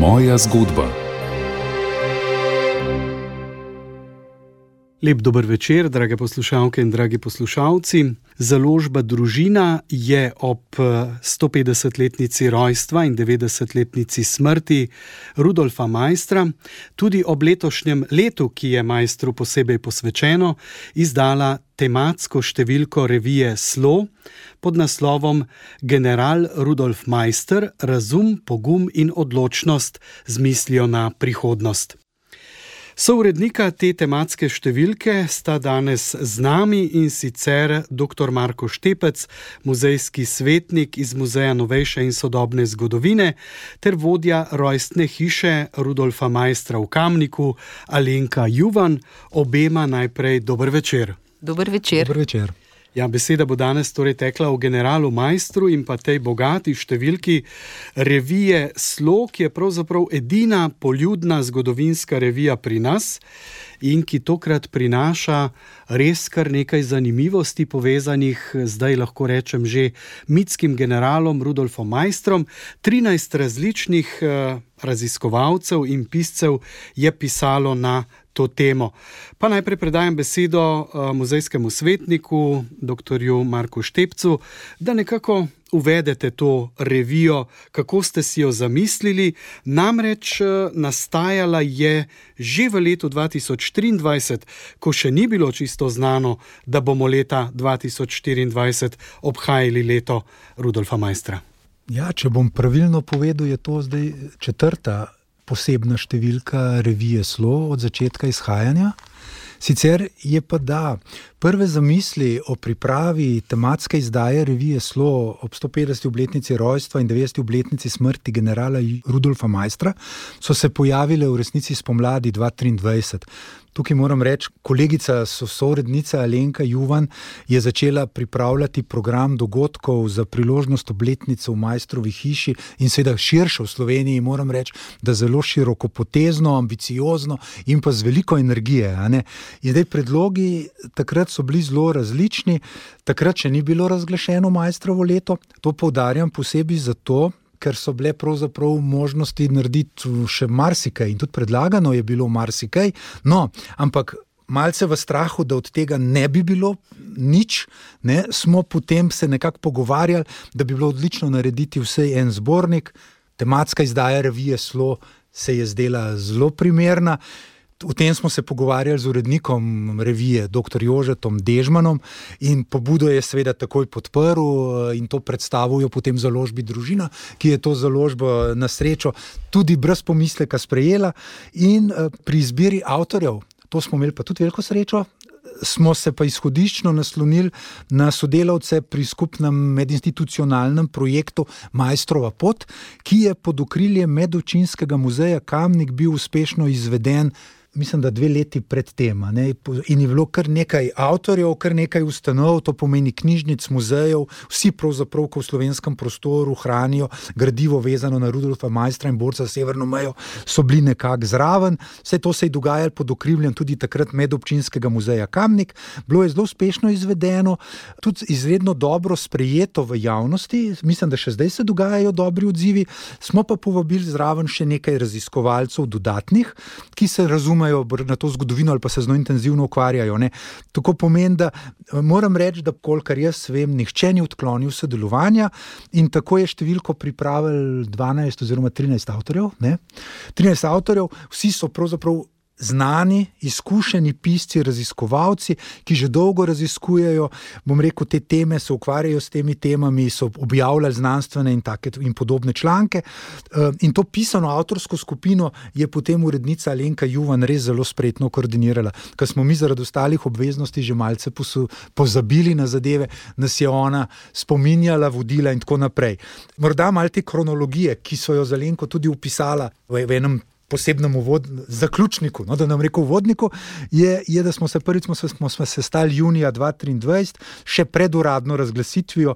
Moja zgodba. Lep dober večer, drage poslušalke in dragi poslušalci. Založba Družina je ob 150-letnici rojstva in 90-letnici smrti Rudolfa Maistra, tudi ob letošnjem letu, ki je Maistru posebej posvečeno, izdala tematsko številko revije Slo pod naslovom General Rudolf Maister, razum, pogum in odločnost z mislijo na prihodnost. Sourednika te tematske številke sta danes z nami, in sicer dr. Marko Štepec, muzejski svetnik iz Muzeja novejše in sodobne zgodovine, ter vodja rojstne hiše Rudolfa Maistra v Kamniku, Alenka Juvan. Obema najprej dober večer. Dober večer. Dober večer. Ja, beseda bo danes torej tekla o generalu Maistru in pa tej bogati številki revije Slo, ki je pravzaprav edina poljudna zgodovinska revija pri nas in ki tokrat prinaša res kar nekaj zanimivosti povezanih, zdaj lahko rečem že mitskim generalom Rudolfom Maistrom. 13 različnih raziskovalcev in piscev je pisalo na to temo. Pa najprej predajam besedo muzejskemu svetniku, dr. Marku Štepcu, da nekako uvedete to revijo, kako ste si jo zamislili. Namreč nastajala je že v letu 2023, ko še ni bilo čisto znano, da bomo leta 2024 obhajali leto Rudolfa Maistra. Ja, če bom pravilno povedal, je to zdaj 4. posebna številka revije Slo od začetka izhajanja. Sicer je pa prve zamisli o pripravi tematske izdaje revije Slo ob 150. obletnici rojstva in 90. obletnici smrti generala Rudolfa Maistra so se pojavile v resnici spomladi 2023. Tukaj moram reči, kolegica, sourednica Alenka Juvan je začela pripravljati program dogodkov za priložnost obletnice v Maistrovi hiši in seveda širše v Sloveniji, moram reči, da zelo širokopotezno, ambiciozno in pa z veliko energije. In zdaj predlogi takrat so bili zelo različni, takrat še ni bilo razglašeno Maistrovo leto, to poudarjam posebej zato, ker so bile pravzaprav možnosti narediti še marsikaj in tudi predlagano je bilo marsikaj, ampak malce v strahu, da od tega ne bi bilo nič, smo potem se nekako pogovarjali, da bi bilo odlično narediti vsej en zbornik. Tematska izdaja revije Slo se je zdela zelo primerna. O tem smo se pogovarjali z urednikom revije, dr. Jožetom Dežmanom, in pobudo je seveda takoj podprl in to predstavijo potem založbi Družina, ki je to založbo na srečo tudi brez pomisleka sprejela. In pri izbiri avtorjev, to smo imeli pa tudi veliko srečo, smo se pa izhodiščno naslonili na sodelavce pri skupnem medinstitucionalnem projektu Maistrova pot, ki je pod okriljem Medobčinskega muzeja Kamnik bil uspešno izveden, mislim, da 2 leti pred tem. In je bilo kar nekaj avtorjev, kar nekaj ustanov, to pomeni knjižnic, muzejev, vsi pravzaprav, ko v slovenskem prostoru hranijo gradivo vezano na Rudolfa Maistra in borca za severno mejo, so bili nekako zraven. Vse to se je dogajalo pod okriljem tudi takrat Medobčinskega muzeja Kamnik. Bilo je zelo uspešno izvedeno, tudi izredno dobro sprejeto v javnosti. Mislim, da še zdaj se dogajajo dobri odzivi. Smo pa povabili zraven še nekaj raziskovalcev dodatnih, ki se razumejo na to zgodovino ali pa se z njo intenzivno ukvarjajo. Tako pomeni, da moram reči, da kolikor jaz vem, nihče ni odklonil sodelovanja in tako je številko pripravili 12 oziroma 13 avtorjev. 13 avtorjev, vsi so pravzaprav znani, izkušeni pisci, raziskovalci, ki že dolgo raziskujejo, bom rekel, te teme, se ukvarjajo s temi temami, so objavljali znanstvene in podobne članke. In to pisano avtorsko skupino je potem urednica Alenka Juvan res zelo spretno koordinirala. Ker smo mi zaradi ostalih obveznosti že malce pozabili na zadeve, nas je ona spominjala, vodila in tako naprej. Morda malo te kronologije, ki so jo z Alenko tudi upisala v enem posebnem zaključniku, da nam rekel uvodniku, je, da smo se sestali junija 2023, še pred uradno razglasitvijo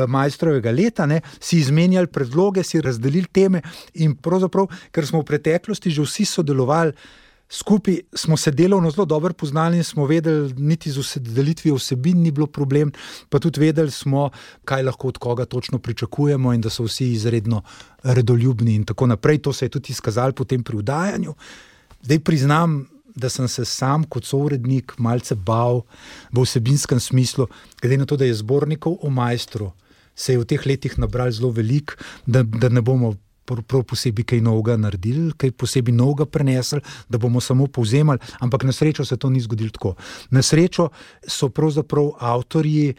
Maistrovega leta, si izmenjali predloge, si razdelili teme in pravzaprav, ker smo v preteklosti že vsi sodelovali skupaj smo se delovno zelo dobro poznali in smo vedeli, niti z delitvijo vsebin ni bilo problem, pa tudi vedeli smo, kaj lahko od koga točno pričakujemo in da so vsi izredno redoljubni in tako naprej. To se je tudi izkazalo potem pri vdajanju. Zdaj priznam, da sem se sam kot sourednik malce bal v vsebinskem smislu, glede na to, da je zbornikov o Maestru se je v teh letih nabral zelo veliko, da ne bomo prav posebej kaj novega naredili, kaj posebej novega prenesli, da bomo samo povzemali, ampak na srečo se to ni zgodilo tako. Na srečo so pravzaprav avtorji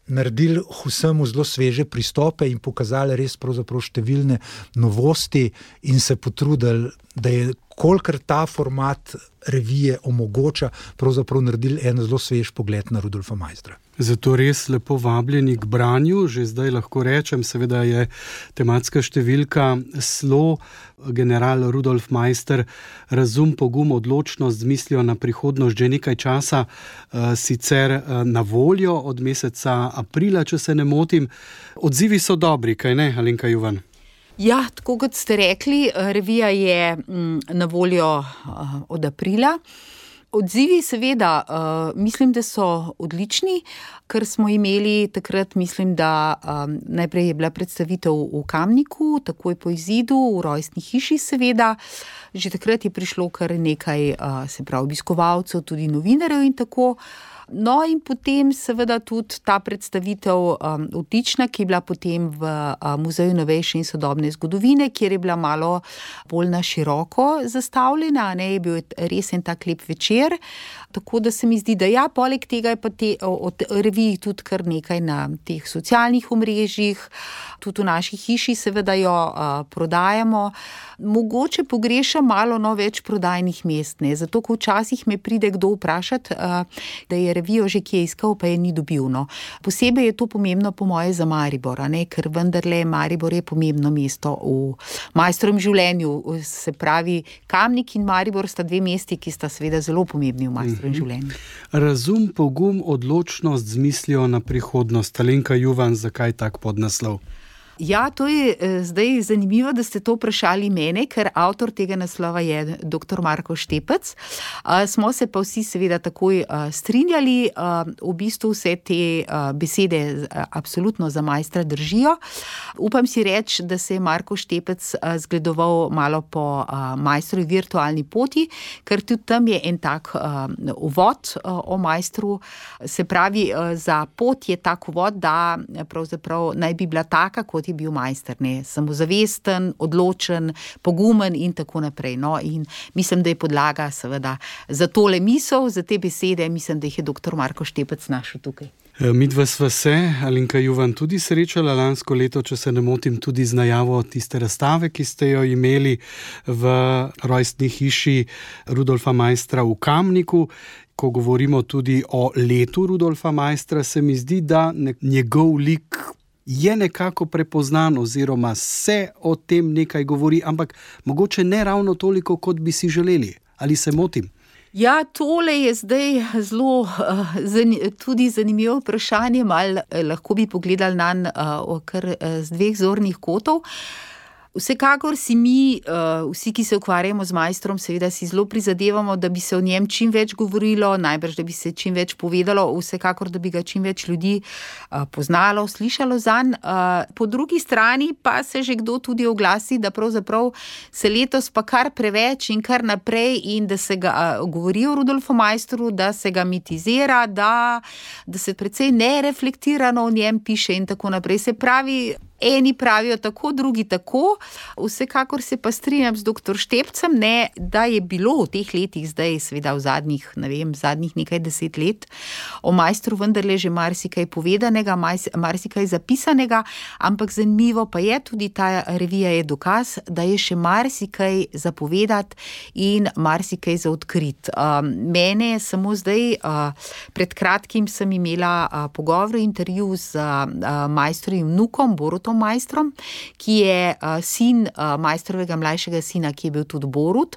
naredili vsemu zelo sveže pristope in pokazali res pravzaprav številne novosti in se potrudili, da je kolikor ta format revije omogoča, pravzaprav naredili en zelo svež pogled na Rudolfa Maistra. Zato res lepo vabljeni k branju, že zdaj lahko rečem, seveda je tematska številka Slo, general Rudolf Maister, razum, pogum, odločnost z mislijo na prihodnost že nekaj časa sicer na voljo od meseca aprila, če se ne motim. Odzivi so dobri, kaj ne, Alenka Juvan? Ja, tako kot ste rekli, revija je na voljo od aprila. Odzivi seveda, mislim, da so odlični, ker smo imeli takrat, mislim, da najprej je bila predstavitev v Kamniku, takoj po izidu, v rojstni hiši seveda. Že takrat je prišlo kar nekaj, se pravi, obiskovalcev, tudi novinarjev in tako. No in potem seveda tudi ta predstavitev odlična, ki je bila potem v Muzeju novejše in sodobne zgodovine, kjer je bila malo bolj na široko zastavljena, ne, je bil res en tak lep večer, tako da se mi zdi, da ja, poleg tega je pa od revij tudi kar nekaj na teh socialnih omrežjih, tudi v naši hiši seveda jo prodajamo. Mogoče pogrešam malo več prodajnih mest, ne, zato ko včasih me pride kdo vprašati, da je revijo že kje iskal, pa je ni dobil. No. Posebej je to pomembno po moje za Maribor, ne, ker vendarle Maribor je pomembno mesto v Maistrovem življenju, se pravi Kamnik in Maribor sta dve mesti, ki sta seveda zelo pomembni v Maistrovem življenju. Razum, pogum, odločnost z mislijo na prihodnost. Alenka Juvan, zakaj tak podnaslov? Ja, to je zdaj zanimivo, da ste to vprašali mene, ker avtor tega naslova je dr. Marko Štepec. Smo se pa vsi seveda takoj strinjali, v bistvu vse te besede absolutno za Maistra držijo. Upam si reči, da se je Marko Štepec zgledoval malo po Maistrovi virtualni poti, ker tudi tam je en tak uvod o Maistru. Se pravi, za pot je tak uvod, da pravzaprav naj bi bila taka, kot je bil Maister, ne, samozavesten, odločen, pogumen in tako naprej. No, in mislim, da je podlaga seveda za tole misel, za te besede, mislim, da jih je dr. Marko Štepec našel tukaj. Midva sva se, Alenka Juvan, tudi srečala lansko leto, če se ne motim, tudi z najavo tiste razstave, ki ste jo imeli v rojstni hiši Rudolfa Maistra v Kamniku. Ko govorimo tudi o letu Rudolfa Maistra, se mi zdi, da njegov lik je nekako prepoznan oziroma se o tem nekaj govori, ampak mogoče ne ravno toliko, kot bi si želeli. Ali se motim? Ja, tole je zdaj zelo tudi zanimivo vprašanje, malo lahko bi pogledali nanj kar z dveh zornih kotov. Vsekakor si mi, vsi, ki se ukvarjamo z Maistrom, seveda si zelo prizadevamo, da bi se o njem čim več govorilo, najbrž, da bi se čim več povedalo, vsekakor, da bi ga čim več ljudi poznalo, slišalo zanj. Po drugi strani pa se že kdo tudi oglasi, da pravzaprav se letos pa kar preveč in kar naprej in da se ga govori o Rudolfu Maistru, da se ga mitizira, da se precej nereflektirano o njem piše in tako naprej. Se pravi, eni pravijo tako, drugi tako. Vsekakor se pa strinjam z dr. Štepcem, ne, da je bilo v teh letih, zdaj seveda v zadnjih nekaj 10 let, o Maistru vendarle že marsikaj povedanega, marsikaj zapisanega, ampak zanimivo pa je tudi ta revija je dokaz, da je še marsikaj za povedati in marsikaj za odkriti. Mene samo zdaj, pred kratkim sem imela pogovor, intervju z Maistrovim vnukom, Borutom Maistrom, ki je sin Maistrovega mlajšega sina, ki je bil tudi Borut.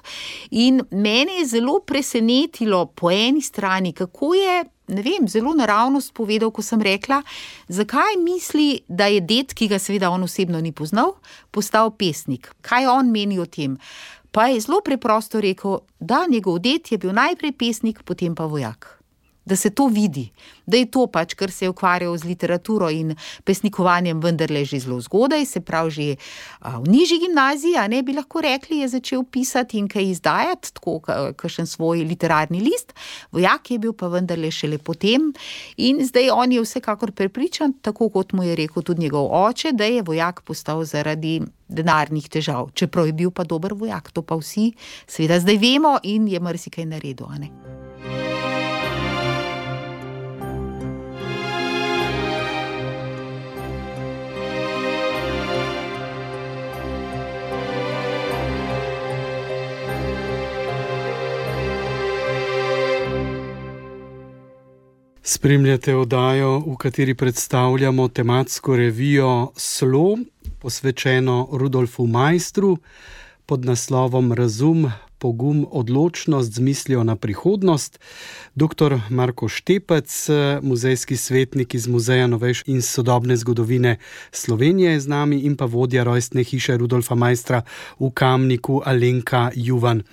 In mene je zelo presenetilo po eni strani, kako je, ne vem, zelo naravnost povedal, ko sem rekla, zakaj misli, da je ded, ki ga seveda on osebno ni poznal, postal pesnik. Kaj on meni o tem? pa je zelo preprosto rekel, da njegov ded je bil najprej pesnik, potem pa vojak. Da se to vidi, da je to pač, ker se je ukvarjal z literaturo in pesnikovanjem vendarle že zelo zgodaj, se pravi že v nižji gimnaziji, a ne bi lahko rekli, je začel pisati in kaj izdajati, tako kakšen svoj literarni list. Vojak je bil pa vendarle šele potem in zdaj on je vsekakor prepričan, tako kot mu je rekel tudi njegov oče, da je vojak postal zaradi denarnih težav. Čeprav je bil pa dober vojak, to pa vsi seveda zdaj vemo in je marsikaj naredil, a ne. Spremljate oddajo, v kateri predstavljamo tematsko revijo Slo, posvečeno Rudolfu Maistru, pod naslovom Razum, pogum, odločnost z mislijo na prihodnost. Dr. Marko Štepec, muzejski svetnik iz Muzeja novejše in sodobne zgodovine Slovenije je z nami in pa vodja rojstne hiše Rudolfa Maistra v Kamniku Alenka Juvan.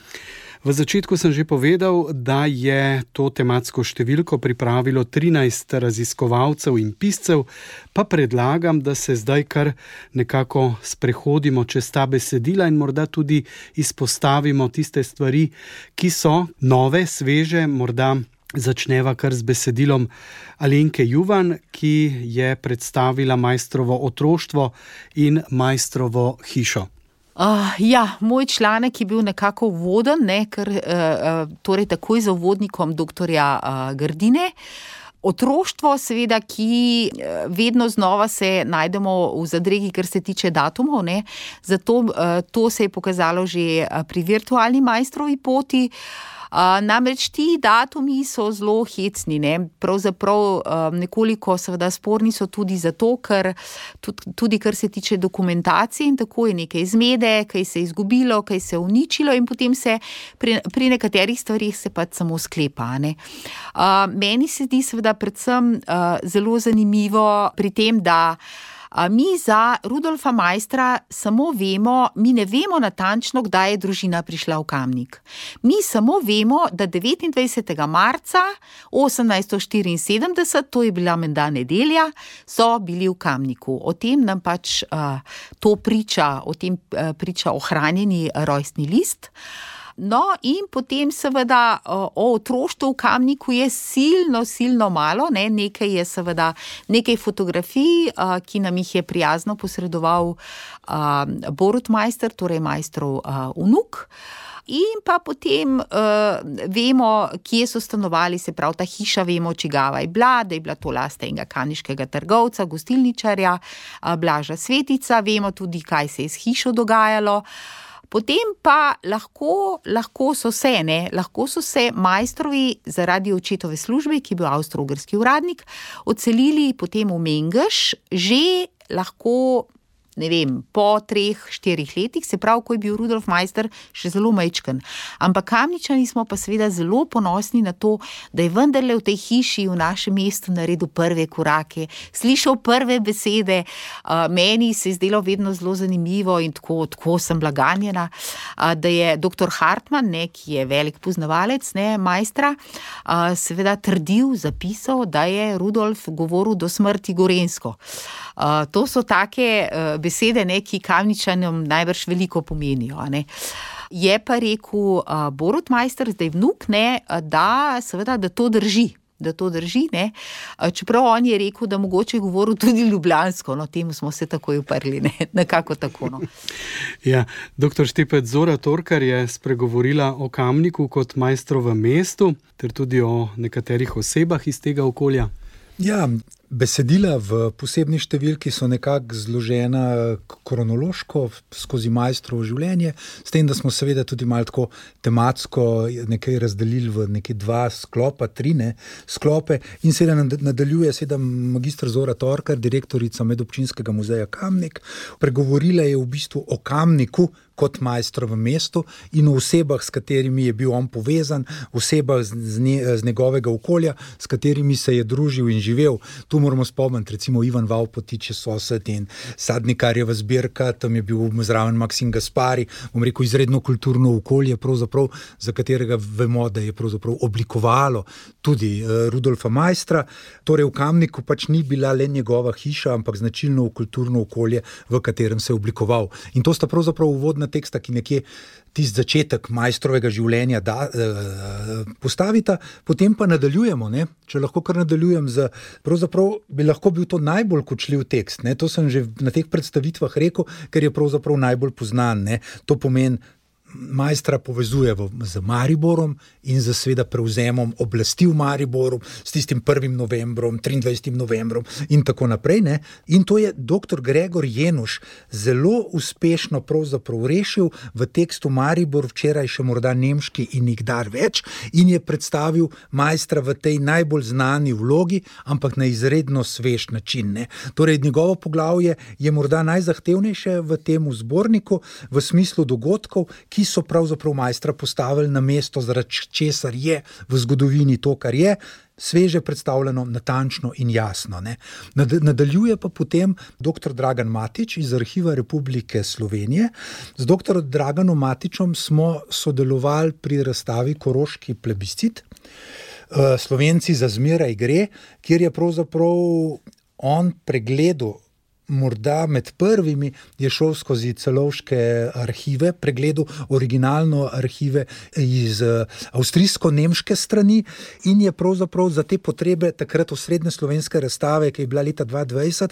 V začetku sem že povedal, da je to tematsko številko pripravilo 13 raziskovalcev in piscev, pa predlagam, da se zdaj kar nekako sprehodimo čez ta besedila in morda tudi izpostavimo tiste stvari, ki so nove, sveže, morda začneva kar z besedilom Alenke Juvan, ki je predstavila Maistrovo otroštvo in Maistrovo hišo. Moj članek je bil nekako uvoden, ker torej takoj za uvodnikom doktorja Grdine. Otroštvo seveda, ki vedno znova se najdemo v zadregi, kar se tiče datumov, ne. Zato to se je pokazalo že pri virtualni Maistrovi poti. Namreč ti datumi so zelo hecni, ne. Pravzaprav nekoliko seveda sporni so tudi zato, ker tudi kar se tiče dokumentacije in tako je nekaj zmede, kaj se je izgubilo, kaj se je uničilo in potem se pri nekaterih stvarih se pač samo sklepa, ne. Meni se zdi seveda predvsem zelo zanimivo pri tem, da mi za Rudolfa Maistra samo vemo, mi ne vemo natančno, kdaj je družina prišla v Kamnik. Mi samo vemo, da 29. marca 1874, to je bila menda nedelja, so bili v Kamniku. O tem nam pač to priča, o tem priča ohranjeni rojstni list. No, in potem seveda o otroštvu v Kamniku je silno malo, ne, nekaj je seveda, nekaj fotografij, ki nam jih je prijazno posredoval Borut Maister, torej Maistrov vnuk. In pa potem vemo, kje so stanovali, se pravi, ta hiša vemo, čigava je bila, da je bila to last enega kamniškega trgovca, gostilničarja, Blaža Svetica, vemo tudi, kaj se je s hišo dogajalo. Potem pa lahko so se Maistrovi zaradi očetove službe, ki je bil avstro-ogrski uradnik, odselili potem v Mengeš, že lahko, ne vem, po 3-4 letih, se pravi, ko je bil Rudolf Maister še zelo majčken. Ampak Kamničani smo pa seveda zelo ponosni na to, da je vendarle v tej hiši v našem mestu naredil prve korake, slišal prve besede. Meni se je zdelo vedno zelo zanimivo in tako sem bila ganjena, da je dr. Hartmann, ne, ki je velik poznavalec, ne, Maistra, seveda trdil, zapisal, da je Rudolf govoril do smrti gorenjsko. To so take besede, ne, ki Kamničanom najbrž veliko pomenijo, ne. Je pa rekel Borut Maister, zdaj vnuk, ne, da seveda, da to drži, ne. Čeprav on je rekel, da mogoče je govoril tudi ljubljansko, no, temu smo se takoj uprli, ne, nekako tako, no. Ja, dr. Štepec, Zora Torkar je spregovorila o Kamniku kot Maistrovem mestu, ter tudi o nekaterih osebah iz tega okolja. Ja, besedila v posebni številki so nekako zložena kronološko skozi Maistrovo življenje, s tem, da smo seveda tudi malo tako tematsko nekaj razdelili v nekaj 2 sklopa, 3 sklope in seveda nadaljuje seveda magistra Zora Torkar, direktorica Medobčinskega muzeja Kamnik. Pregovorila je v bistvu o Kamniku kot Maestro v mestu in o osebah, s katerimi je bil on povezan, osebah z njegovega okolja, s katerimi se je družil in živel. Tu moramo spomniti, recimo Ivan Vavpotič je sosed in Sadnikarjeva zbirka, tam je bil zraven Maksim Gaspari, bom rekel, izredno kulturno okolje, pravzaprav, za katerega vemo, da je pravzaprav oblikovalo tudi Rudolfa Maistra. Torej v Kamniku pač ni bila le njegova hiša, ampak značilno kulturno okolje, v katerem se je oblikoval. In to sta pravzaprav uvodna teksta, ki nekje tisti začetek Maistrovega življenja postavita, potem pa nadaljujemo, ne? Če lahko kar nadaljujem pravzaprav bi lahko bil to najbolj kočljiv tekst, ne? To sem že na teh predstavitvah rekel, ker je pravzaprav najbolj poznan, ne? To pomeni, Maistra povezuje z Mariborom in z seveda prevzemom oblasti v Mariboru, s tistim 1. novembrom, 23. novembrom in tako naprej, ne. In to je dr. Gregor Jenuš zelo uspešno pravzaprav rešil v tekstu Maribor, včeraj še morda nemški in nikdar več, in je predstavil Maistra v tej najbolj znani vlogi, ampak na izredno svež način, ne. Torej, njegovo poglavje je morda najzahtevnejše v tem zborniku, v smislu dogodkov, ki so pravzaprav Maistra postavili na mesto, zaradi česar je v zgodovini to, kar je, sveže predstavljeno, natančno in jasno, ne. Nadaljuje pa potem dr. Dragan Matič iz Arhiva Republike Slovenije. Z dr. Draganom Matičem smo sodelovali pri razstavi Koroški plebiscit, Slovenci za zmeraj gre, kjer je pravzaprav on pregledal, morda med prvimi je šel skozi celovške arhive, pregledal originalno arhive iz avstrijsko-nemške strani in je pravzaprav za te potrebe takrat osrednje slovenske razstave, ki je bila leta 2020,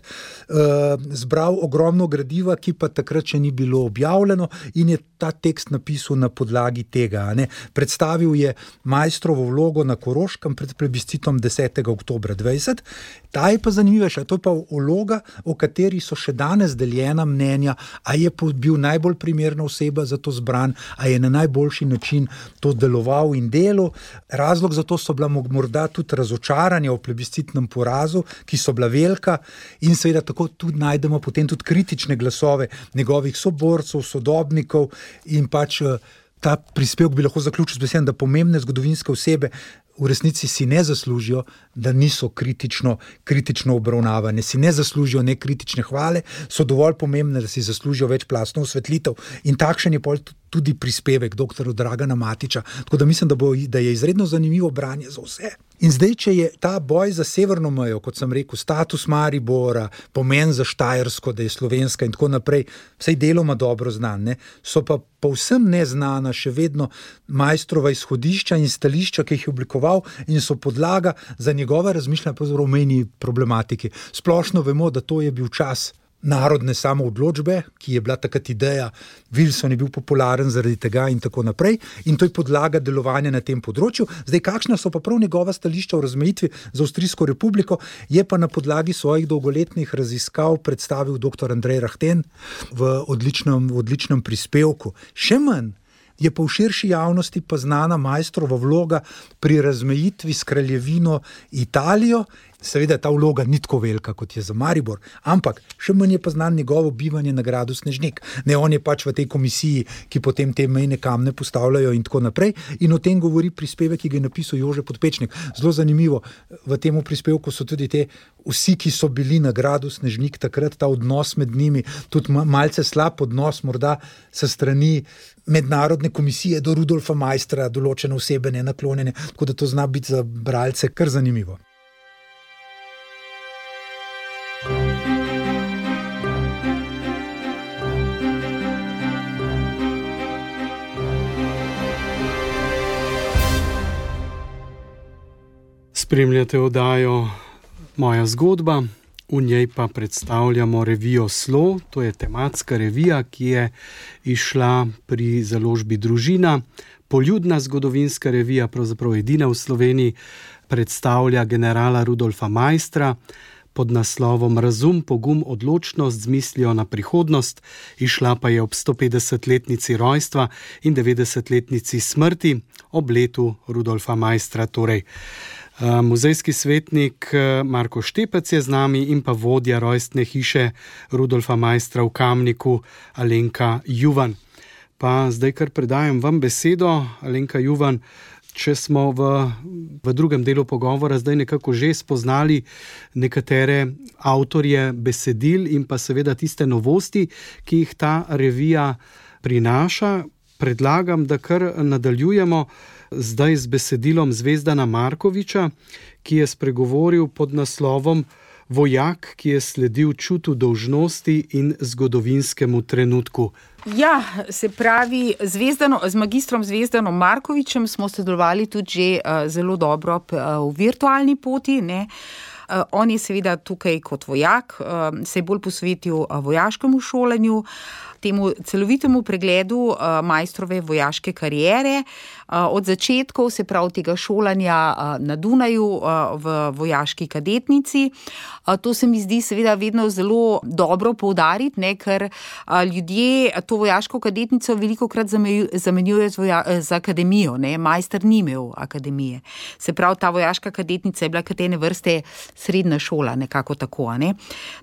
zbral ogromno gradiva, ki pa takrat še ni bilo objavljeno in je ta tekst napisal na podlagi tega, ne. Predstavil je Maistrovo vlogo na Koroškem pred plebiscitom 10. oktobra 2020. Ta je pa zanimivejša, to je pa vloga, o kateri so še danes deljena mnenja, a je bil najbolj primerna oseba za to zbran, a je na najboljši način to deloval in delal. Razlog za to so bila morda tudi razočaranja o plebiscitnem porazu, ki so bila velika, in seveda tako tudi najdemo potem tudi kritične glasove njegovih soborcev, sodobnikov in pač ta prispevek bi lahko zaključil z besedami, da pomembne zgodovinske osebe v resnici si ne zaslužijo, da niso kritično obravnavane, si ne zaslužijo nekritične hvale, so dovolj pomembne, da si zaslužijo večplastno osvetlitev in takšen je tudi prispevek dr. Dragana Matiča, tako da mislim, da je izredno zanimivo branje za vse. In zdaj, če je ta boj za severno mejo, kot sem rekel, status Maribora, pomen za Štajersko, da je slovenska in tako naprej, vsaj deloma dobro znan, ne, so pa povsem neznana še vedno Maistrova izhodišča in stališča, ki jih je oblikoval in so podlaga za njegove razmišljanja pravzaprav o mejni problematiki. Splošno vemo, da to je bil čas narodne samoodločbe, ki je bila takrat ideja, Wilson je bil popularen zaradi tega in tako naprej, in to je podlaga delovanja na tem področju. Zdaj, kakšna so pa prav njegova stališča o razmejitvi z Avstrijsko republiko, je pa na podlagi svojih dolgoletnih raziskav predstavil dr. Andrej Rahten v odličnem prispevku. Še manj je pa v širši javnosti pa znana Maistrova vloga pri razmejitvi s kraljevino Italijo. Seveda ta vloga ni tako velika, kot je za Maribor, ampak še manj je pa znan njegovo bivanje na gradu Snežnik. Ne, on je pač v tej komisiji, ki potem te mejne kamne postavljajo in tako naprej, in o tem govori prispevek, ki ga je napisal Jože Podpečnik. Zelo zanimivo, v tem prispevku so tudi vsi, ki so bili na gradu Snežnik takrat, ta odnos med njimi, tudi malce slab odnos morda sa strani mednarodne komisije do Rudolfa Maistra, določene osebe nenaklonjene, tako da to zna biti za bralce kar zanimivo. Spremljate oddajo Moja zgodba, v njej pa predstavljamo revijo Slo, to je tematska revija, ki je izšla pri založbi Družina. Poljudna zgodovinska revija, pravzaprav edina v Sloveniji, predstavlja generala Rudolfa Maistra pod naslovom Razum, pogum, odločnost z mislijo na prihodnost. Izšla pa je ob 150-letnici rojstva in 90-letnici smrti, ob letu Rudolfa Maistra torej. Muzejski svetnik Marko Štepec je z nami in pa vodja rojstne hiše Rudolfa Maistra v Kamniku Alenka Juvan. Pa zdaj kar predajam vam besedo, Alenka Juvan. Če smo v drugem delu pogovora zdaj nekako že spoznali nekatere avtorje besedil in pa seveda tiste novosti, ki jih ta revija prinaša, predlagam, da kar nadaljujemo zdaj z besedilom Zvezdana Markoviča, ki je spregovoril pod naslovom Vojak, ki je sledil čutu dolžnosti in zgodovinskemu trenutku. Ja, se pravi, z magistrom Zvezdanom Markovičem smo sodelovali tudi že zelo dobro v virtualni poti, ne. On je seveda tukaj kot vojak, se je bolj posvetil vojaškemu šolanju, temu celovitemu pregledu Maistrove vojaške kariere, od začetkov, se pravi tega šolanja na Dunaju v vojaški kadetnici. To se mi zdi seveda vedno zelo dobro poudariti, ne, ker ljudje to vojaško kadetnico velikokrat zamenjujejo z akademijo, ne. Maister ni imel akademije. Se pravi, ta vojaška kadetnica je bila kot ene vrste srednja šola, nekako tako, ne.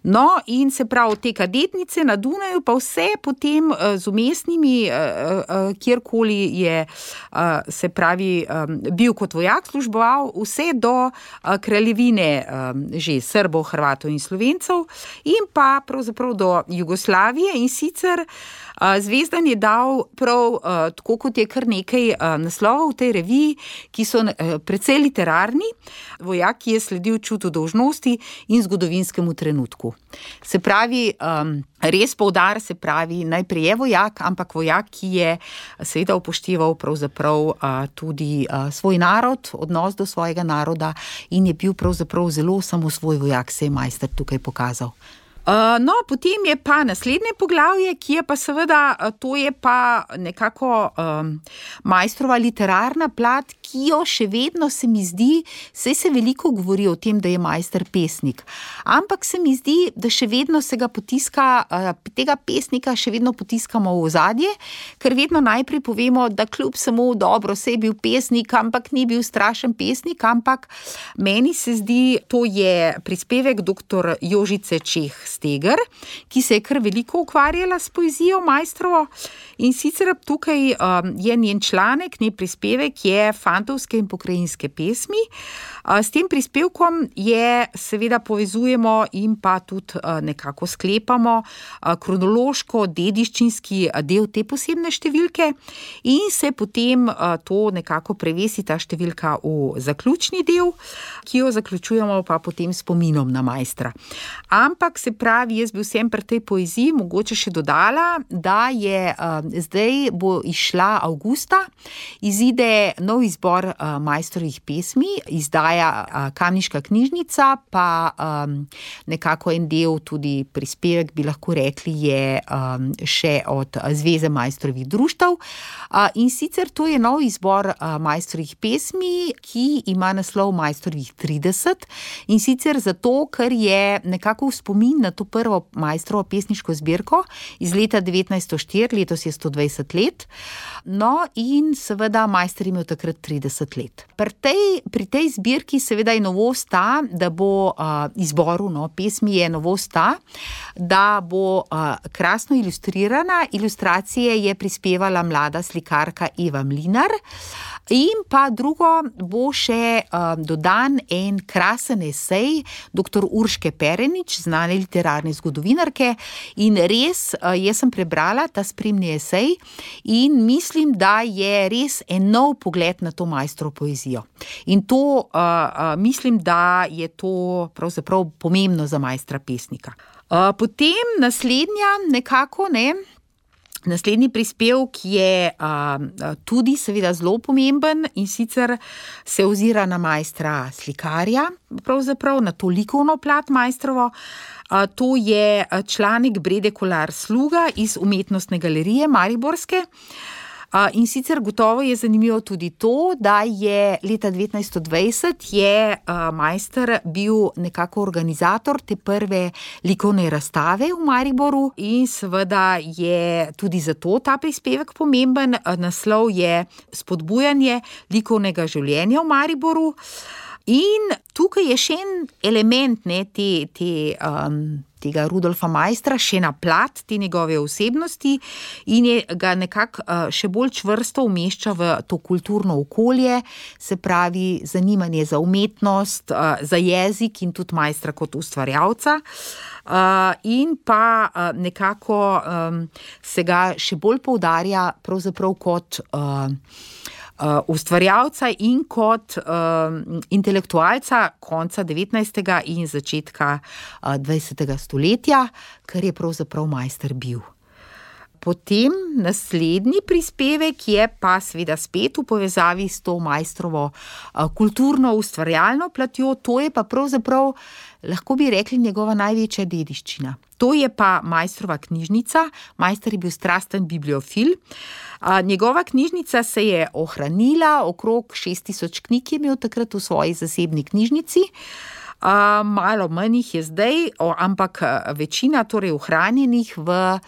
No, in se pravi, te kadetnice na Dunaju pa vse potem z vmesnimi, kjerkoli je, se pravi, bil kot vojak, služboval vse do kraljevine že Srbov, Hrvatov in Slovencev in pa pravzaprav do Jugoslavije, in sicer Zvezdan je dal prav, tako kot je kar nekaj naslovov v tej reviji, ki so precej literarni, vojak, ki je sledil čutu dolžnosti in zgodovinskemu trenutku. Se pravi, res poudar, se pravi, najprej je vojak, ampak vojak, ki je seveda upošteval pravzaprav tudi svoj narod, odnos do svojega naroda, in je bil pravzaprav zelo samosvoj vojak, se je Maister tukaj pokazal. No, potem je pa naslednje poglavje, ki je pa seveda, to je pa nekako Maistrova literarna plat, ki jo še vedno se mi zdi, saj se veliko govori o tem, da je Maister pesnik, ampak se mi zdi, da še vedno se ga potiska, tega pesnika še vedno potiskamo v ozadje, ker vedno najprej povemo, da kljub samo dobro, saj je bil pesnik, ampak ni bil strašen pesnik, ampak meni se zdi, to je prispevek dr. Jožice Čeh Steger, ki se je kar veliko ukvarjala s poezijo Maistrovo, in sicer tukaj je njen članek, njen prispevek je Fantovske in pokrajinske pesmi. S tem prispevkom je seveda povezujemo in pa tudi nekako sklepamo kronološko dediščinski del te posebne številke in se potem to nekako prevesi ta številka v zaključni del, ki jo zaključujemo pa potem spominom na Maistra. Ampak se pravi, jaz bi vsem pri tej poeziji mogoče še dodala, da je zdaj bo izšla avgusta, izide nov izbor Maistrovih pesmi, izdaja Kamniška knjižnica, pa nekako en del tudi prispevek, bi lahko rekli, je še od Zveze Maistrovih društev. In sicer to je nov izbor Maistrovih pesmi, ki ima naslov Maistrovih 30, in sicer zato, ker je nekako v spomin na to prvo Maistrovo pesniško zbirko iz leta 1904, letos je 120 let. No, in seveda Maister je imel takrat 30 let. Pri tej zbirki seveda je novost ta, da bo izboru pesmi je novost ta, da bo krasno ilustrirana. Ilustracije je prispevala mlada slikarka Eva Mlinar. In pa drugo, bo še dodan en krasen esej dr. Urške Perenič, znane literarne zgodovinarke, in res, jaz sem prebrala ta spremni esej in mislim, da je res en nov pogled na to Maistrovo poezijo. In to mislim, da je to pravzaprav pomembno za Maistra pesnika. Potem naslednji prispevek je tudi seveda zelo pomemben, in sicer se ozira na Maistra slikarja, pravzaprav na to likovno plat Maistrovo. To je članek Brede Kolar Sluga iz Umetnostne galerije mariborske. In sicer gotovo je zanimivo tudi to, da je leta 1920 je Maister bil nekako organizator te prve likovne razstave v Mariboru in seveda je tudi zato ta prispevek pomemben. Naslov je Spodbujanje likovnega življenja v Mariboru. In tukaj je še en element te tega Rudolfa Maistra še na plat te njegove osebnosti in je ga nekako še bolj čvrsto umešča v to kulturno okolje, se pravi zanimanje za umetnost, za jezik in tudi Maistra kot ustvarjalca. In pa nekako se ga še bolj poudarja pravzaprav kot ustvarjalca in kot intelektualca konca 19. in začetka 20. stoletja, kar je pravzaprav Maister bil. Potem naslednji prispevek je pa seveda spet v povezavi s to Maistrovo kulturno ustvarjalno platjo, to je pa pravzaprav, lahko bi rekli, njegova največja dediščina. To je pa Maistrova knjižnica. Maister je bil strasten bibliofil. Njegova knjižnica se je ohranila, okrog 6000 knjig je imel takrat v svoji zasebni knjižnici. Malo manj jih je zdaj, ampak večina torej ohranjenih v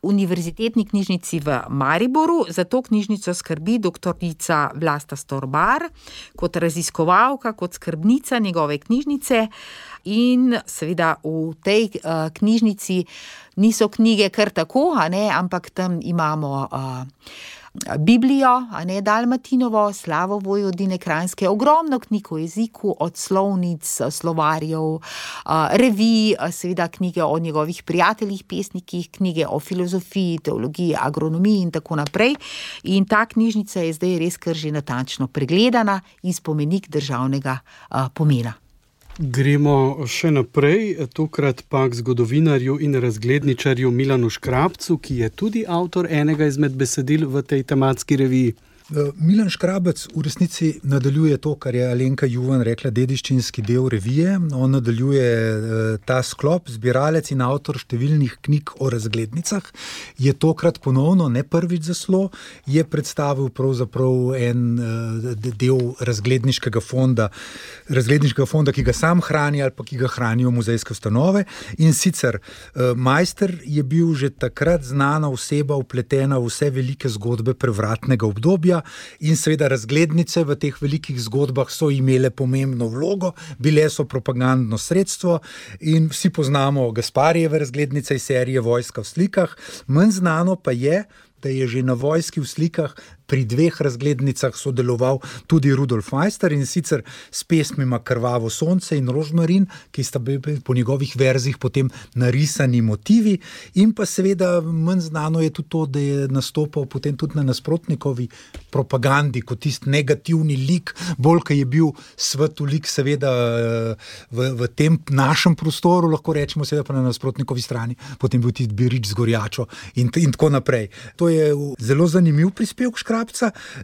Univerzitetni knjižnici v Mariboru. Za to knjižnico skrbi doktorica Vlasta Storbar kot raziskovalka, kot skrbnica njegove knjižnice. In seveda v tej knjižnici niso knjige kar tako, ampak tam imamo Biblijo, Dalmatinovo, Slavo Vojvodine Kranjske, ogromno knjig o jeziku, od slovnic, slovarjev, revij, seveda knjige o njegovih prijateljih, pesnikih, knjige o filozofiji, teologiji, agronomiji in tako naprej. In ta knjižnica je zdaj res kar že natančno pregledana in spomenik državnega pomena. Gremo še naprej, tokrat pa k zgodovinarju in razgledničarju Milanu Škrabcu, ki je tudi avtor enega izmed besedil v tej tematski reviji. Milan Škrabec v resnici nadaljuje to, kar je Alenka Juvan rekla, dediščinski del revije. On nadaljuje ta sklop, zbiralec in avtor številnih knjig o razglednicah. Je tokrat ponovno, ne prvič zaslo, je predstavil pravzaprav en del razgledniškega fonda, ki ga sam hrani ali pa ki ga hranijo muzejske ustanove. In sicer Maister je bil že takrat znana oseba, vpletena v vse velike zgodbe prevratnega obdobja. In seveda razglednice v teh velikih zgodbah so imele pomembno vlogo, bile so propagandno sredstvo in vsi poznamo Gasparijeve razglednice iz serije Vojska v slikah. Manj znano pa je, da je že na Vojski v slikah pri 2 razglednicah sodeloval tudi Rudolf Maister, in sicer s pesmima Krvavo sonce in Rožmarin, ki sta bili po njegovih verzih potem narisani motivi. In pa seveda manj znano je tudi to, da je nastopal potem tudi na nasprotnikovi propagandi kot tisti negativni lik, bolj ko je bil svetu lik seveda v tem našem prostoru, lahko rečemo, seveda pa na nasprotnikovi strani potem bil tisti Birič z Gorjačo in tako naprej. To je zelo zanimiv prispevek Škrabca.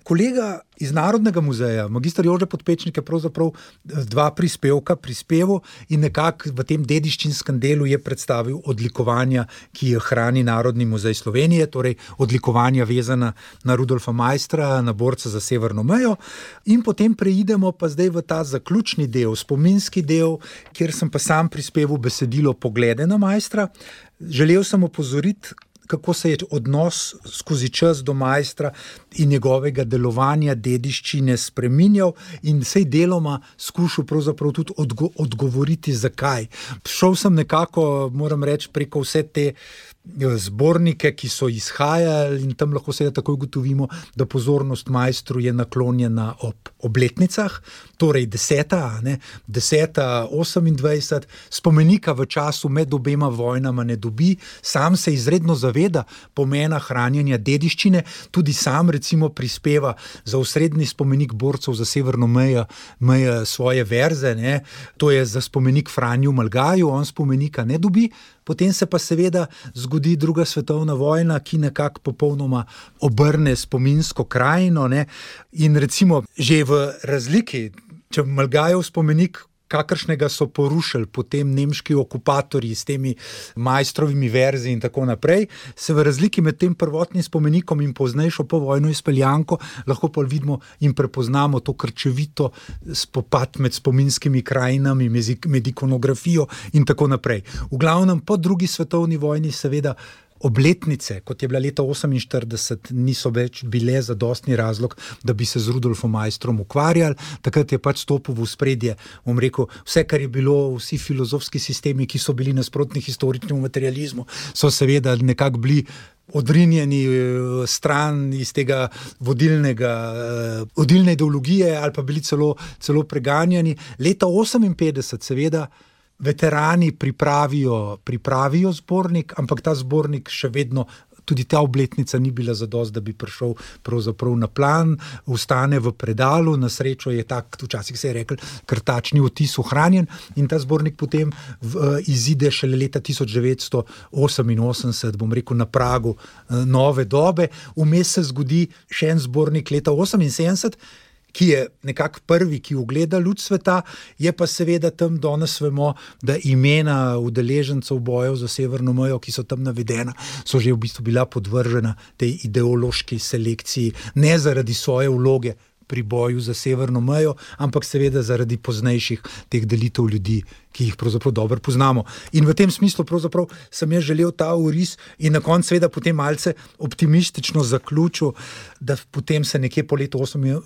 Kolega iz Narodnega muzeja, magister Jože Podpečnik, je pravzaprav 2 prispevka prispeval in nekako v tem dediščinskem delu je predstavil odlikovanja, ki jih hrani Narodni muzej Slovenije, torej odlikovanja vezana na Rudolfa Maistra, na borca za severno mejo. In potem preidemo pa zdaj v ta zaključni del, spominski del, kjer sem pa sam prispeval besedilo Poglede na Maistra. Želel sem opozoriti, kako se je odnos skozi čas do Maistra in njegovega delovanja, dediščine spreminjal in sej deloma skušal pravzaprav tudi odgovoriti, zakaj. Šel sem nekako, moram reči, preko vse te zbornike, ki so izhajali, in tam lahko seveda takoj ugotovimo, da pozornost Maistru je naklonjena ob obletnicah, torej 10., 28, spomenika v času med obema vojnama ne dobi, sam se izredno zaveda pomena hranjenja dediščine, tudi sam recimo prispeva za osrednji spomenik borcev za severno mejo svoje verze, to je za spomenik Franju Malgaju, on spomenika ne dobi. Potem se pa seveda zgodi 2. svetovna vojna, ki nekako popolnoma obrne spominsko krajino, in recimo že v razliki, če Malgajev spomenik, kakršnega so porušili potem nemški okupatorji s temi Maistrovimi verzi in tako naprej, se v razliki med tem prvotnim spomenikom in poznejšo povojno izpeljanko lahko pa vidimo in prepoznamo to krčevito spopad med spominskimi krajinami, med ikonografijo in tako naprej. V glavnem po 2. svetovni vojni seveda obletnice, kot je bila leta 1948, niso več bile zadostni razlog, da bi se z Rudolfom Maistrom ukvarjali. Takrat je pač stopil v ospredje, bom rekel, vse, kar je bilo, vsi filozofski sistemi, ki so bili nasprotni historičnemu materializmu, so seveda nekako bili odrinjeni stran iz tega vodilne ideologije ali pa bili celo preganjani. Leta 1958 seveda veterani pripravijo zbornik, ampak ta zbornik še vedno, tudi ta obletnica ni bila zadost, da bi prišel pravzaprav na plan, ostane v predalu, na srečo je tak, včasih se je rekel, krtačni odtis ohranjen in ta zbornik potem izide šele leta 1988, bom rekel, na pragu nove dobe. Vmes se zgodi še en zbornik leta 1978, ki je nekako prvi, ki ugleda luč sveta, je pa seveda tam danes vemo, da imena udeležencev bojev za severno mejo, ki so tam navedena, so že v bistvu bila podvržena tej ideološki selekciji, ne zaradi svoje vloge pri boju za severno mejo, ampak seveda zaradi poznejših teh delitev ljudi, ki jih pravzaprav dobro poznamo. In v tem smislu pravzaprav sem jaz želel ta oris in na koncu seveda potem malce optimistično zaključil, da potem se nekje po letu 88,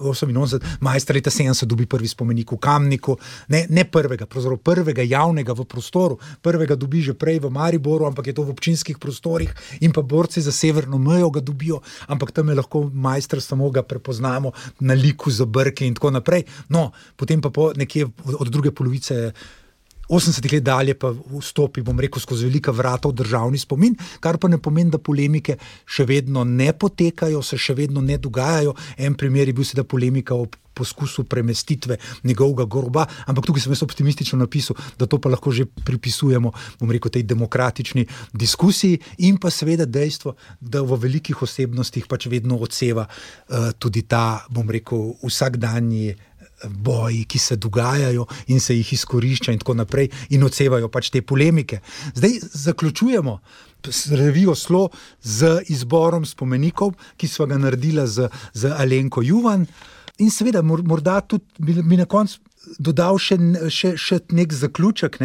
Maister leta 70 dobi prvi spomenik v Kamniku, ne prvega, pravzaprav prvega javnega v prostoru, prvega dobi že prej v Mariboru, ampak je to v občinskih prostorih in pa borci za severno mejo ga dobijo, ampak tam je lahko Maister, samo ga prepoznamo na liku za brke in tako naprej. No, potem pa nekje od druge polovice 80 let dalje pa vstopi, bom rekel, skozi velika vrata v državni spomin, kar pa ne pomeni, da polemike še vedno ne potekajo, se še vedno ne dogajajo. En primer je bil seveda polemika o poskusu premestitve njegovega groba, ampak tukaj sem jaz optimistično napisal, da to pa lahko že pripisujemo, bom rekel, tej demokratični diskusiji in pa seveda dejstvo, da v velikih osebnostih pač vedno odseva tudi ta, bom rekel, vsakdanji boji, ki se dogajajo in se jih izkorišča in tako naprej in odsevajo pač te polemike. Zdaj zaključujemo revijo Slo z izborom spomenikov, ki sva ga naredila z Alenko Juvan in seveda morda tudi bi na koncu dodal še nek zaključek,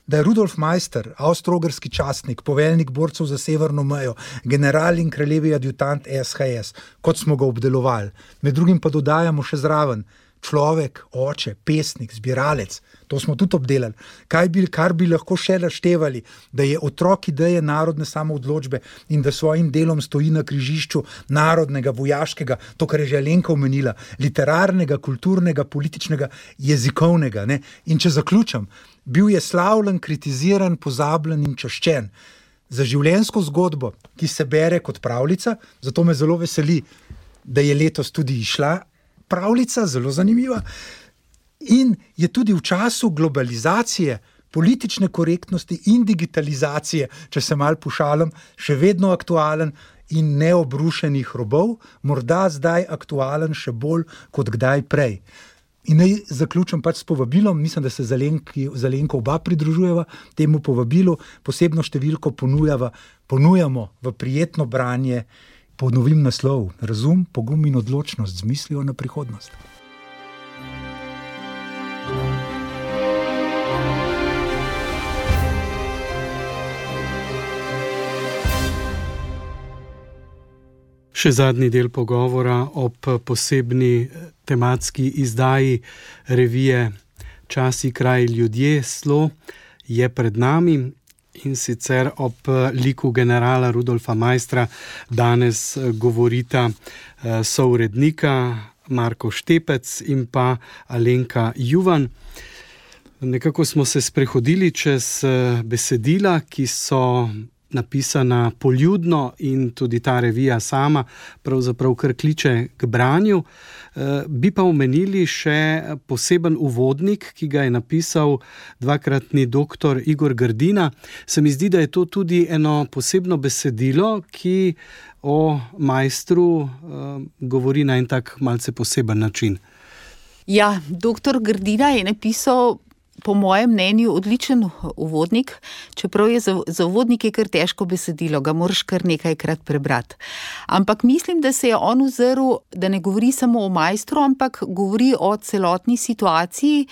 da je Rudolf Maister, avstro-ogrski častnik, poveljnik borcev za severno mejo, general in kraljevi adjutant SHS, kot smo ga obdelovali. Med drugim pa dodajamo še zraven človek, oče, pesnik, zbiralec, to smo tudi obdelali. Kar bi lahko še naštevali, da je otrok ideje narodne samoodločbe in da svojim delom stoji na križišču narodnega, vojaškega, to, kar je že Alenka omenila, literarnega, kulturnega, političnega, jezikovnega. In če zaključam, bil je slavljen, kritiziran, pozabljen in čaščen. Za življenjsko zgodbo, ki se bere kot pravljica, zato me zelo veseli, da je letos tudi išla pravljica, zelo zanimiva, in je tudi v času globalizacije, politične korektnosti in digitalizacije, če se malo pošalim, še vedno aktualen in neobrušenih robov, morda zdaj aktualen še bolj kot kdaj prej. In naj zaključim pač s povabilom, mislim, da se z Alenko oba pridružujeva temu povabilu, posebno številko ponujamo v prijetno branje. Ponovim naslov: Razum, pogum in odločnost z mislijo na prihodnost. Še zadnji del pogovora ob posebni tematski izdaji revije Časi, kraj, ljudje, Slo je pred nami. In sicer ob liku generala Rudolfa Maistra danes govorita sourednika Marko Štepec in pa Alenka Juvan. Nekako smo se sprehodili čez besedila, ki so napisana poljudno in tudi ta revija sama pravzaprav kar kliče k branju. Bi pa omenili še poseben uvodnik, ki ga je napisal dvakratni doktor Igor Grdina. Se mi zdi, da je to tudi eno posebno besedilo, ki o Maistru govori na en tak malce poseben način. Ja, doktor Grdina je napisal po mojem mnenju odličen uvodnik, čeprav je za uvodnike kar težko besedilo, ga moraš kar nekajkrat prebrati. Ampak mislim, da se je on ozrl, da ne govori samo o Maistru, ampak govori o celotni situaciji,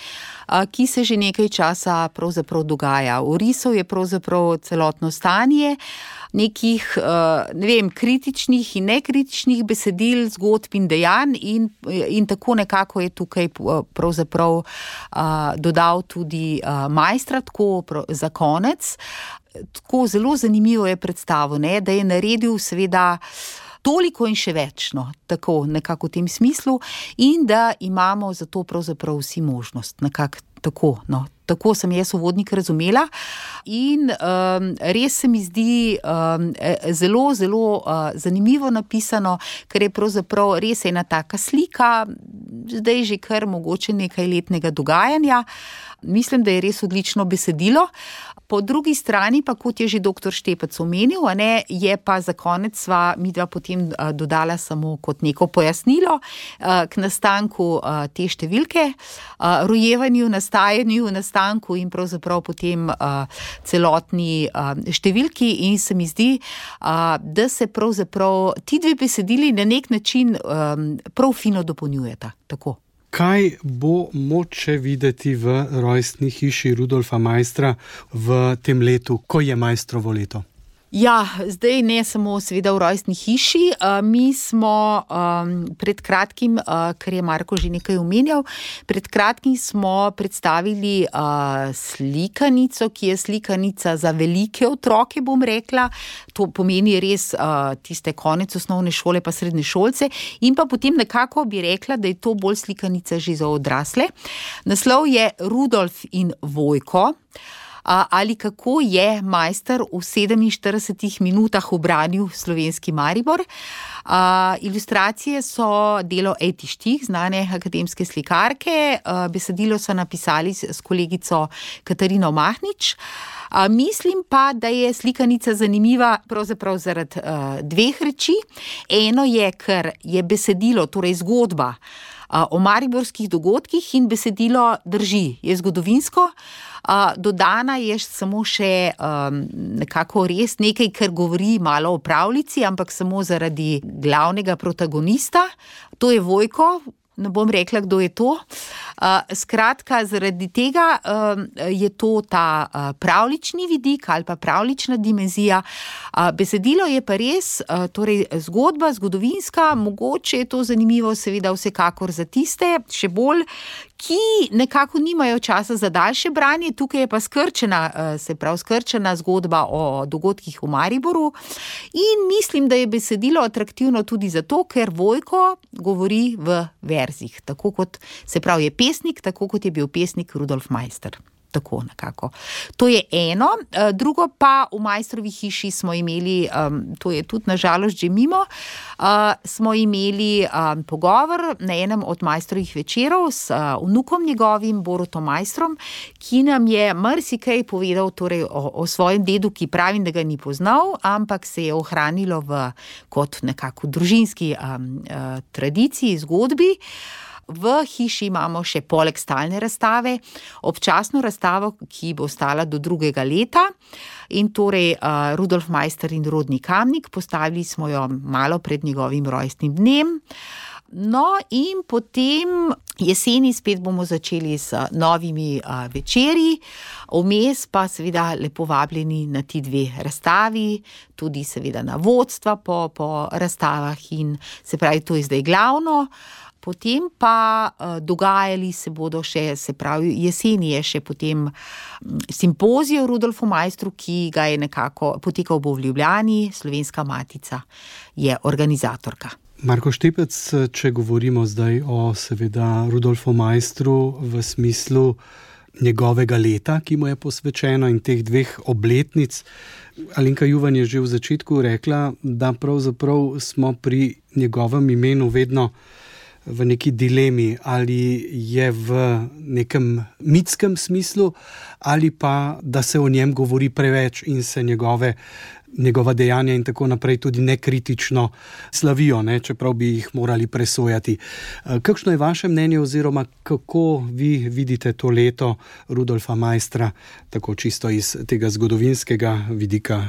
ki se že nekaj časa pravzaprav dogaja. Orisal je pravzaprav celotno stanje, nekih, kritičnih in nekritičnih besedil, zgodb in dejanj in tako nekako je tukaj pravzaprav dodal tudi Maistra, tako za konec. Tako zelo zanimivo je predstavo, da je naredil seveda toliko in še več, tako nekako v tem smislu, in da imamo za to pravzaprav vsi možnost, nekako tako, Tako sem jaz uvodnik razumela in res se mi zdi zelo, zelo zanimivo napisano, ker je pravzaprav res ena taka slika, zdaj že kar mogoče nekaj letnega dogajanja. Mislim, da je res odlično besedilo. Po drugi strani pa, kot je že doktor Štepec omenil, je pa za konec sva midva potem dodala samo kot neko pojasnilo k nastanku te številke, rojevanju, nastanku in pravzaprav potem celotni številki, in se mi zdi, da se pravzaprav ti dve besedili na nek način prav fino dopolnjujeta. Tako. Kaj bo moče videti v rojstni hiši Rudolfa Maistra v tem letu, ko je Maistrovo leto? Ja, zdaj ne samo seveda v rojstni hiši. Mi smo pred kratkim, ker je Marko že nekaj omenjal, pred kratkim smo predstavili slikanico, ki je slikanica za velike otroke, bom rekla. To pomeni res tiste konec osnovne šole pa srednje šolce, in pa potem nekako bi rekla, da je to bolj slikanica že za odrasle. Naslov je Rudolf in Vojko. Ali kako je Maister v 47 minutah ubranil slovenski Maribor. Ilustracije so delo Eti Štih, znane akademske slikarke. Besedilo so napisali s kolegico Katarino Mahnič. Mislim pa, da je slikanica zanimiva pravzaprav zaradi dveh reči. Eno je, ker je besedilo, torej zgodba o mariborskih dogodkih, in besedilo drži, je zgodovinsko. Dodana je samo še nekako res nekaj, kar govori malo o pravljici, ampak samo zaradi glavnega protagonista. To je Vojko. Ne bom rekla, kdo je to. Skratka, zaradi tega je to ta pravljični vidik ali pa pravljična dimenzija. Besedilo je pa res, torej zgodba, zgodovinska, mogoče je to zanimivo seveda vsekakor za tiste, še bolj, ki nekako nimajo časa za daljše branje. Tukaj je pa skrčena zgodba o dogodkih v Mariboru, in mislim, da je besedilo atraktivno tudi zato, ker Vojko govori v verzih, tako kot, se pravi, je pesnik, tako kot je bil pesnik Rudolf Maister. Tako nekako. To je eno. Drugo pa, v Maistrovi hiši smo imeli, to je tudi nažalost že mimo, smo imeli pogovor na enem od Maistrovih večerov s vnukom njegovim, Borutom Maistrom, ki nam je marsikaj povedal torej o svojem dedu, ki pravim, da ga ni poznal, ampak se je ohranilo kot nekako družinski tradiciji, zgodbi. V hiši imamo še poleg stalne razstave občasno razstavo, ki bo ostala do 2. leta, in torej Rudolf Maister in rodni Kamnik. Postavili smo jo malo pred njegovim rojstnim dnem. No, in potem jeseni spet bomo začeli s novimi večeri, vmes pa seveda lepo vabljeni na ti dve razstavi, tudi seveda na vodstva po razstavah, in se pravi, to je zdaj glavno. Potem pa dogajali se bodo še, se pravi, jeseni je še potem simpozij o Rudolfu Maistru, ki ga je nekako potekal v Ljubljani, Slovenska matica je organizatorka. Marko Štepec, če govorimo zdaj o seveda Rudolfu Maistru v smislu njegovega leta, ki mu je posvečeno, in teh dveh obletnic, Alenka Juvan je že v začetku rekla, da pravzaprav smo pri njegovem imenu vedno v neki dilemi, ali je v nekem mitskem smislu, ali pa, da se o njem govori preveč in se njegova dejanja in tako naprej tudi nekritično slavijo, čeprav bi jih morali presojati. Kakšno je vaše mnenje, oziroma kako vi vidite to leto Rudolfa Maistra, tako čisto iz tega zgodovinskega vidika,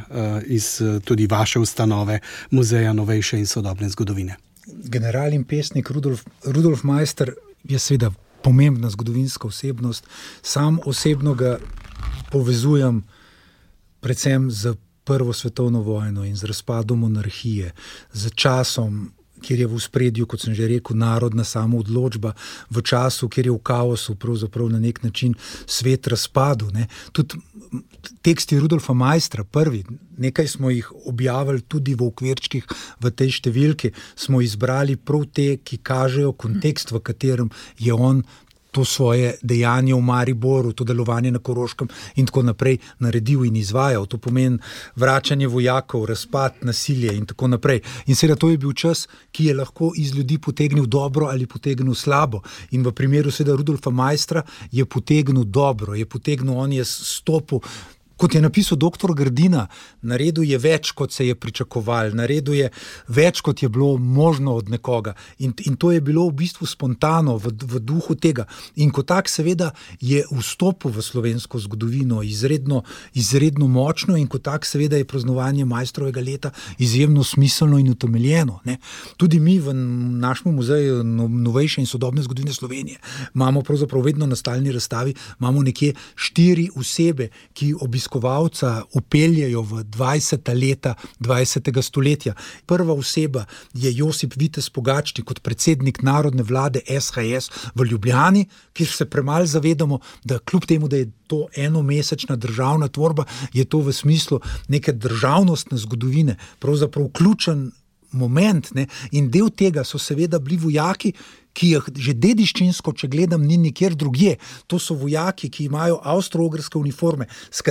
iz tudi vaše ustanove, Muzeja novejše in sodobne zgodovine? General in pesnik Rudolf Maister je seveda pomembna zgodovinska osebnost. Sam osebno ga povezujem predvsem z Prvo svetovno vojno in z razpadom monarhije, z časom, kjer je v ospredju, kot sem že rekel, narodna samoodločba, v času, kjer je v kaosu pravzaprav na nek način svet razpadel. Tudi teksti Rudolfa Maistra, prvi, nekaj smo jih objavili tudi v okvirčkih v tej številki, smo izbrali prav te, ki kažejo kontekst, v katerem je on to svoje dejanje v Mariboru, to delovanje na Koroškem in tako naprej naredil in izvajal. To pomeni vračanje vojakov, razpad, nasilje in tako naprej. In seveda to je bil čas, ki je lahko iz ljudi potegnil dobro ali potegnil slabo. In v primeru seveda Rudolfa Maistra je potegnil dobro, on je stopil, kot je napisal doktor Grdina, naredil je več, kot se je pričakoval, naredil je več, kot je bilo možno od nekoga. In to je bilo v bistvu spontano, v duhu tega. In ko tak seveda je vstopil v slovensko zgodovino izredno močno in ko tak seveda je praznovanje Maistrovega leta izjemno smiselno in utemeljeno. Tudi mi v našem muzeju novejše in sodobne zgodovine Slovenije imamo pravzaprav vedno na stalni razstavi, imamo nekje 4 osebe, ki obiskovalca upeljejo v 20. leta 20. stoletja. Prva oseba je Josip Vitez Pogačnik kot predsednik narodne vlade SHS v Ljubljani, kjer se premalo zavedamo, da kljub temu, da je to enomesečna državna tvorba, je to v smislu neke državnostne zgodovine pravzaprav ključen moment. In del tega so seveda bili vojaki, ki jih že dediščinsko, če gledam, ni nikjer drugje. To so vojaki, ki imajo avstro-ogrske uniforme, s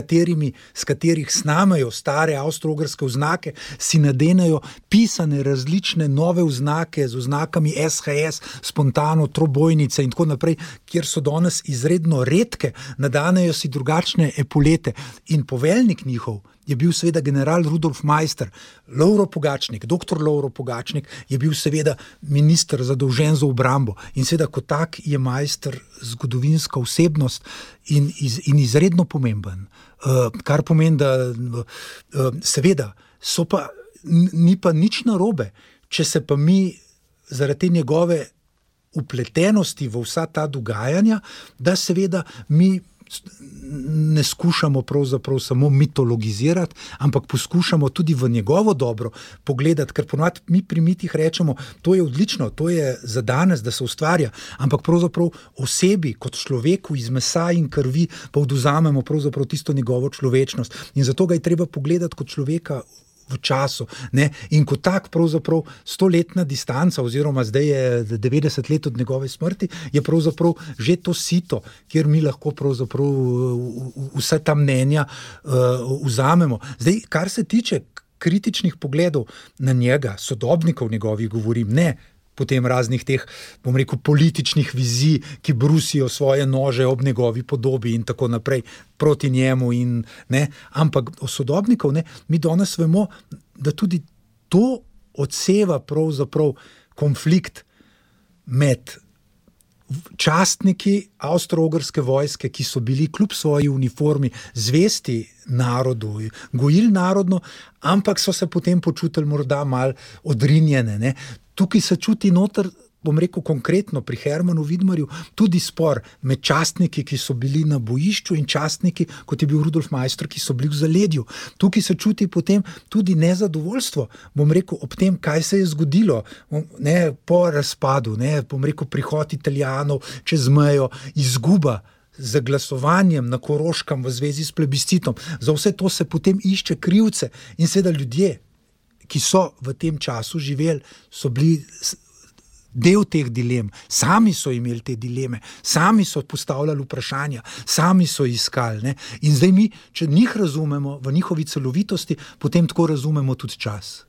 katerih snamajo stare avstro-ogrske oznake, si nadenajo pisane različne nove oznake z oznakami SHS, spontano, trobojnice in tako naprej, kjer so danes izredno redke, nadanejo si drugačne epolete. In poveljnik njihov je bil seveda general Rudolf Maister. Lovro Pogačnik, doktor Lovro Pogačnik je bil seveda minister zadolžen za obrambo in seveda kot tak je Maister zgodovinska osebnost in izredno pomemben. Kar pomeni, da seveda ni pa nič narobe, če se pa mi zaradi njegove upletenosti v vsa ta dogajanja, da seveda mi ne skušamo pravzaprav samo mitologizirati, ampak poskušamo tudi v njegovo dobro pogledati, ker ponovadi mi pri mitih rečemo, to je odlično, to je za danes, da se ustvarja, ampak pravzaprav osebi kot človeku iz mesa in krvi pa odvzamemo pravzaprav tisto njegovo človečnost. In zato ga je treba pogledati kot človeka v času. In kot tak pravzaprav 100-letna distanca, oziroma zdaj je 90 let od njegove smrti, je pravzaprav že to sito, kjer mi lahko pravzaprav vse ta mnenja vzamemo. Zdaj, kar se tiče kritičnih pogledov na njega, sodobnikov njegovih govorim, ne potem raznih teh, bom rekel, političnih vizij, ki brusijo svoje nože ob njegovi podobi in tako naprej proti njemu. Ampak o sodobnikov, mi danes vemo, da tudi to odseva pravzaprav konflikt med častniki avstro-ogrske vojske, ki so bili kljub svoji uniformi zvesti narodu, gojili narodno, ampak so se potem počutili morda malo odrinjene. Tukaj se čuti noter, bom rekel konkretno pri Hermanu Vidmarju, tudi spor med častniki, ki so bili na bojišču in častniki, kot je bil Rudolf Maister, ki so bili v zaledju. Tukaj se čuti potem tudi nezadovoljstvo, bom rekel, ob tem, kaj se je zgodilo po razpadu, bom rekel, prihod Italijanov čez mejo, izguba z glasovanjem na Koroškem v zvezi s plebiscitom. Za vse to se potem išče krivce in seveda ljudje, ki so v tem času živeli, so bili del teh dilem, sami so imeli te dileme, sami so postavljali vprašanja, sami so iskali. In zdaj mi, če njih razumemo v njihovi celovitosti, potem tako razumemo tudi čas.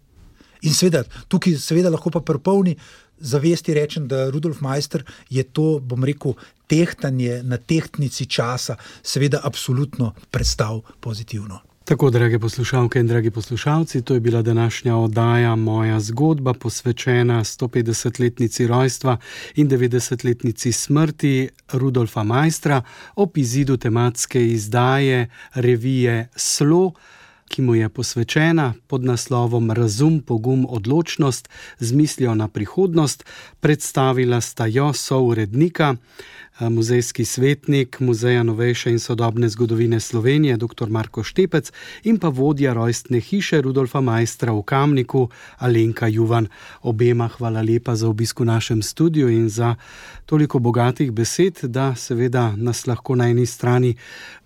In seveda, tukaj seveda lahko pa pri polni zavesti rečem, da Rudolf Maister je to, bom rekel, tehtanje na tehtnici časa seveda absolutno prestal pozitivno. Tako, drage poslušalke in dragi poslušalci, to je bila današnja oddaja Moja zgodba, posvečena 150-letnici rojstva in 90-letnici smrti Rudolfa Maistra ob izidu tematske izdaje revije Slo, ki mu je posvečena pod naslovom Razum, pogum, odločnost z mislijo na prihodnost. Predstavila sta jo sourednika muzejski svetnik Muzeja novejše in sodobne zgodovine Slovenije, dr. Marko Štepec, in pa vodja rojstne hiše Rudolfa Maistra v Kamniku, Alenka Juvan. Obema hvala lepa za obisk v našem studiu in za toliko bogatih besed, da seveda nas lahko na eni strani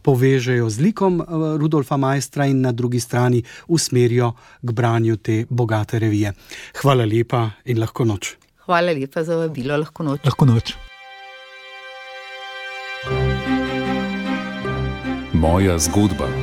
povežejo z likom Rudolfa Maistra in na drugi strani usmerijo k branju te bogate revije. Hvala lepa in lahko noč. Hvala lepa za vabilo, lahko noč. Lahko noč. Moja zgodba.